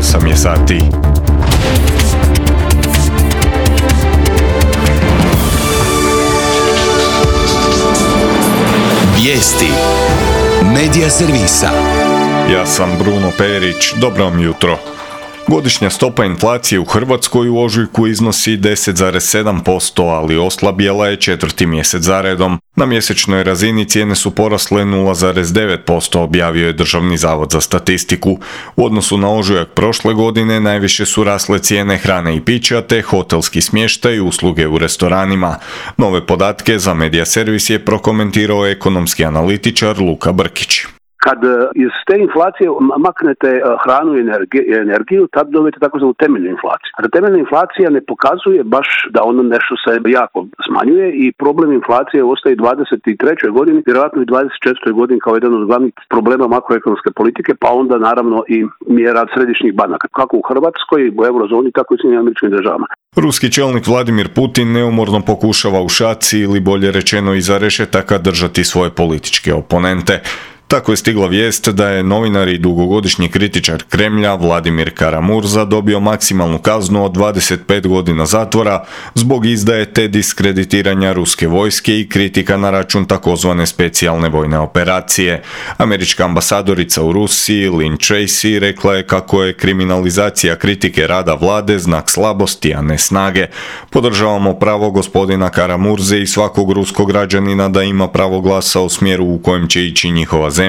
8 je sati. Vijesti Medija servisa. Ja sam Bruno Perić, dobro vam jutro. Godišnja stopa inflacije u Hrvatskoj u ožujku iznosi 10,7%, ali oslabjela je četvrti mjesec zaredom. Na mjesečnoj razini cijene su porasle 0,9%, objavio je Državni zavod za statistiku. U odnosu na ožujak prošle godine najviše su rasle cijene hrane i pića te hotelski smještaj i usluge u restoranima. Nove podatke za Medija servis je prokomentirao ekonomski analitičar Luka Brkić. Kad iz te inflacije maknete hranu i energiju, tad dobijete takozvanu temeljnu inflaciju. A temeljna inflacija ne pokazuje baš da ono nešto se jako smanjuje i problem inflacije ostaje u 23. godini, vjerojatno i 24. godini kao jedan od glavnih problema makroekonomske politike, pa onda naravno i mjera središnjih banaka, kako u Hrvatskoj, u eurozoni, tako i u Sjedinjenim Američkim Državama. Ruski čelnik Vladimir Putin neumorno pokušava u šaci ili bolje rečeno iza rešetaka držati svoje političke oponente. Tako je stigla vijest da je novinar i dugogodišnji kritičar Kremlja Vladimir Kara-Murza dobio maksimalnu kaznu od 25 godina zatvora zbog izdaje te diskreditiranja ruske vojske i kritika na račun takozvane specijalne vojne operacije. Američka ambasadorica u Rusiji Lynn Tracy rekla je kako je kriminalizacija kritike rada vlade znak slabosti, a ne snage. Podržavamo pravo gospodina Kara-Murze i svakog ruskog građanina da ima pravo glasa u smjeru u kojem će ići njihova zemlja.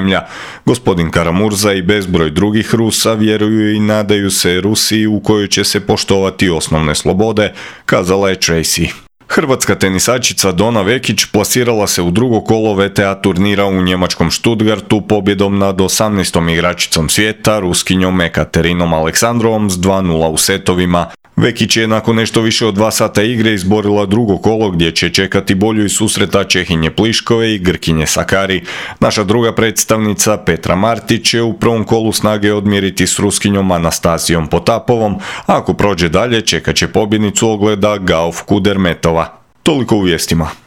Gospodin Kara-Murza i bezbroj drugih Rusa vjeruju i nadaju se Rusiji u kojoj će se poštovati osnovne slobode, kazala je Tracy. Hrvatska tenisačica Dona Vekić plasirala se u drugo kolo WTA turnira u njemačkom Stuttgartu pobjedom nad 18. igračicom svijeta, Ruskinjom Ekaterinom Aleksandrovom s 2:0 u setovima. Vekić je nakon nešto više od 2 sata igre izborila drugo kolo gdje će čekati bolju iz susreta Čehinje Pliškove i Grkinje Sakari. Naša druga predstavnica Petra Martić će u prvom kolu snage odmjeriti s Ruskinjom Anastasijom Potapovom, a ako prođe dalje čekat će pobjednicu ogleda Gauf Kudermetova. Toliko u vijestima.